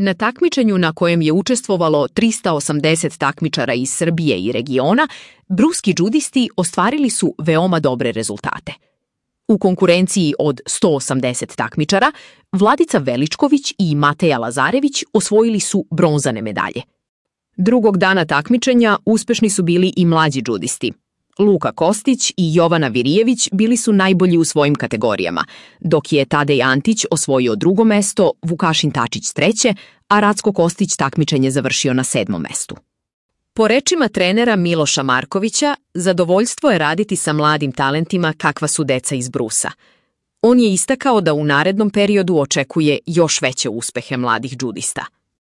Na takmičenju na kojem je učestvovalo 380 takmičara iz Srbije i regiona, bruski džudisti ostvarili su veoma dobre rezultate. U konkurenciji od 180 takmičara, Vladica Veličković i Mateja Lazarević osvojili su bronzane medalje. Drugog dana takmičenja uspešni su bili i mlađi džudisti. Luka Kostić i Jovana Virijević bili su najbolji u svojim kategorijama, dok je Tadej Antić osvojio drugo mesto, Vukašin Tačić treće, a Racko Kostić takmičenje završio na 7. mestu. Po rečima trenera Miloša Markovića, zadovoljstvo je raditi sa mladim talentima kakva su deca iz Brusa. On je istakao da u narednom periodu očekuje još veće uspehe mladih džudista.